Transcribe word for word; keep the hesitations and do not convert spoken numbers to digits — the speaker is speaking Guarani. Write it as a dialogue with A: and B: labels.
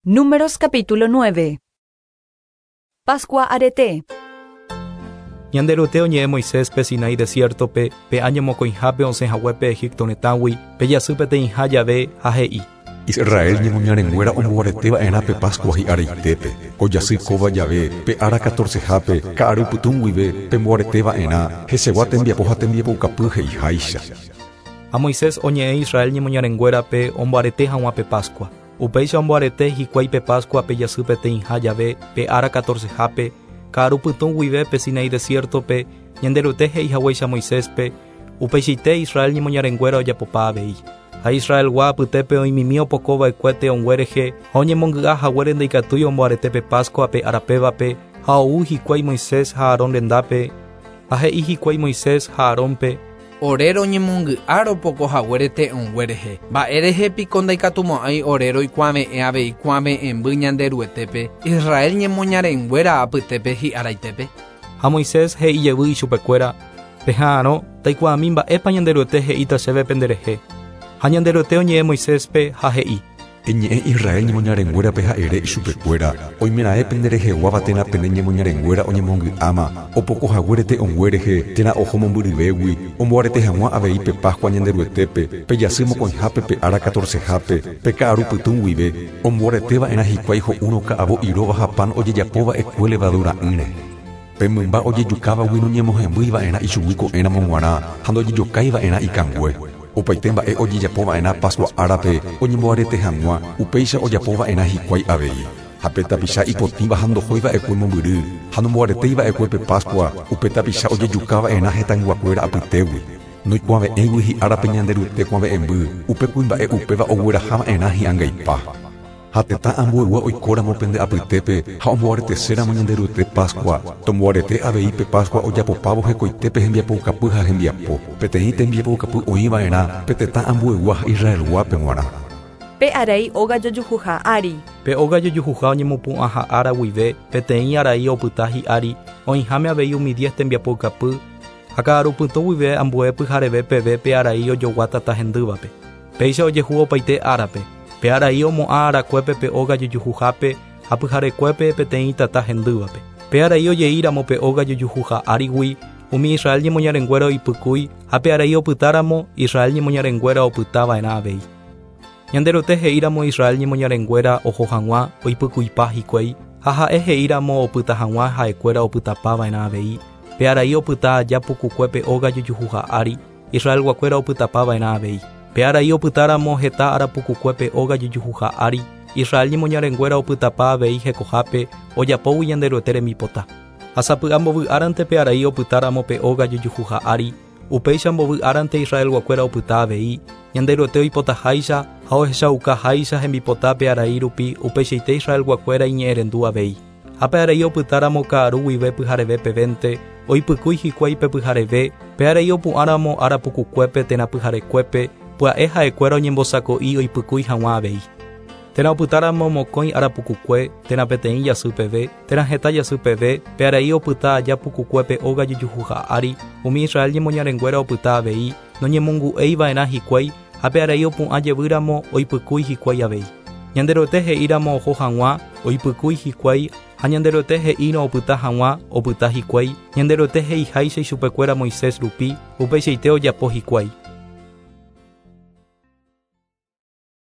A: Números capítulo nueve. Pascua arete.
B: Ñanderuete oñe'ẽ Moiséspe Sinai desiertope, pe año mokõihápe osẽhaguépe Egipto retãgui, pe jasy peteĩha jave ha he'i.
C: Israel ñemoñarenguéra omboareteva'erã pe Pascua hi'areitépe, ko jasy kóva jave, pe ára catorcehápe, ka'aru pytũ guive, pemboareteva'erã, hesegua tembiapo ha tembiapoukapy he'iháicha.
B: Ha Moisés oñe'ẽ Israel ñemoñarenguérape omboarete hag̃ua pe Pascua. Upéicha omboarete hikuái pe Pascua pe jasy peteĩha jave, pe ára catorcehápe, ka'aru pytũ guive pe Sinai desiertope, Ñanderuete he'ihaguéicha Moiséspe, upeichaite Israel ñemoñarenguéra ojapopa avei. Ha Israelgua apytépe oimimi opokova'ekue te'õngue rehe ha oñemongy'a haguére ndaikatúi omboarete pe Pascua pe arapévape ha ou hikuái Moisés ha Aarón rendápe, ha he'i hikuái Moisés ha Aarónpe.
D: Ore roñemongy'a ropoko haguére te'õngue rehe. Mba'e rehe piko ndaikatumo'ãi ore roikuave'ẽ avei kuave'ẽmby Ñanderuetépe, Israel ñemoñarenguéra apytépe hi'araitépe.
B: Ha Moisés he'i jevy ichupekuéra, peha'arõ taikuaami mba'épa Ñanderuete he'íta chéve penderehe. Ha Ñanderuete oñe'ẽ Moiséspe ha he'i.
C: Eñe'ẽ Israel ñemoñarenguérape ha'ere ichupekuéra, oimeraẽ pendereheguáva térã pene ñemoñarenguéra oñemongy'áma, opoko haguére te'õngue rehe térã oho mombyryvégui, omboarete hag̃ua avei pe Pascua Ñanderuetépe, pe jasy mokõihápe pe ára catorcehápe, pe ka'aru pytũ guive, omboareteva'erã hikuái ho'úrõ ka'avo iróva ha pan ojejapova'ekue levadura'ỹre. Pe mymba ojejukávagui noñemohembýiva'erã ichugui ko'ẽramo g̃uarã ha ndojejokáiva'erã ikangue. Opaite mba'e ojejapova'erã Pascua árape oñemboarete hag̃ua, upéicha ojapova'erã hikuái avei. Ha pe tapicha ipotĩva ha ndohóiva'ekue mombyry, ha nomboaretéiva'ekue pe Pascua, upe tapicha ojejukava'erã hetãyguakuéra apytégui. Noikuave'ẽgui hi'árape Ñanderuete kuave'ẽmby, upe kuimba'e upéva oguerahava'erã hi'angaipa. Ha tetã ambuegua oikóramo pende apytépe ha omboareteséramo Ñanderuete Pascua, tomboarete avei pe Pascua ojapopávo hekoitépe hembiapoukapy ha hembiapo. Peteĩ tembiapoukapy oĩva'erã pe tetã ambuegua ha Israelguápe g̃uarã.
A: Pe arai óga jojuhuha ári.
B: Pe óga jojuhuha oñemopu'ãha ára guive, peteĩ arai opyta hi'ári, oĩháme avei umi diez tembiapoukapy, ha ka'aru pytũ guive ambue pyhareve peve pe arai ojogua tata hendývape. Péicha ojehu opaite árape. Pe arai omo'ã arakuépe pe óga jojuhuhápe ha pyharekuépe peteĩ tata hendývape. Pe arai ojeíramo pe óga jojuhuha árigui, umi Israel ñemoñarenguéra oipykúi ha pe arai opytáramo Israel ñemoñarenguéra opytava'erã avei. Ñanderuete he'íramo Israel ñemoñarenguéra oho hag̃ua oipykuipa hikuái, ha ha'e he'íramo opyta hag̃ua ha'ekuéra opytapava'erã avei. Pe arai opyta aja pukukue pe óga jojuhuha ári, Israelguakuéra opytapava'erã avei. Pe arai opytáramo heta ára pukukue pe óga jojuhuha ári, Israel ñemoñarenguéra opytapa avei hekohápe ojapógui Ñanderuete rembipota. Ha sapy'a mbovy árante pe arai opytáramo pe óga jojuhuha ári, upéicha mbovy árante Israelguakuéra opyta avei, Ñanderuete oipotaháicha ha ohechaukaháicha hembipota pe arai rupi, upeichaite Israelguakuéra iñe'ẽrendu avei. Ha pe arai opytáramo ka'aru guive pyhareve pevénte, oipykúi hikuái pe pyhareve, pe arai opu'ãramo ára pukukuépe térã pyharekuépe, pya'e ha'ekuéra oñembosako'i oipykúi hag̃ua avei. Térã opytáramo mokõi ára pukukue, térã peteĩ jasy peve, térã heta jasy peve, pe arai opyta aja pukukue pe óga jojuhuha ári, umi Israel ñemoñarenguéra opyta avei, noñemongu'eiva'erã hikuái, ha pe arai opu'ã jevýramo oipykúi hikuái avei. Ñanderuete he'íramo oho hag̃ua, oipykúi hikuái, ha Ñanderuete he'írõ opyta hag̃ua, opyta hikuái, Ñanderuete he'iháicha ichupekuéra Moisés rupi, upeichaite ojapo hikuái.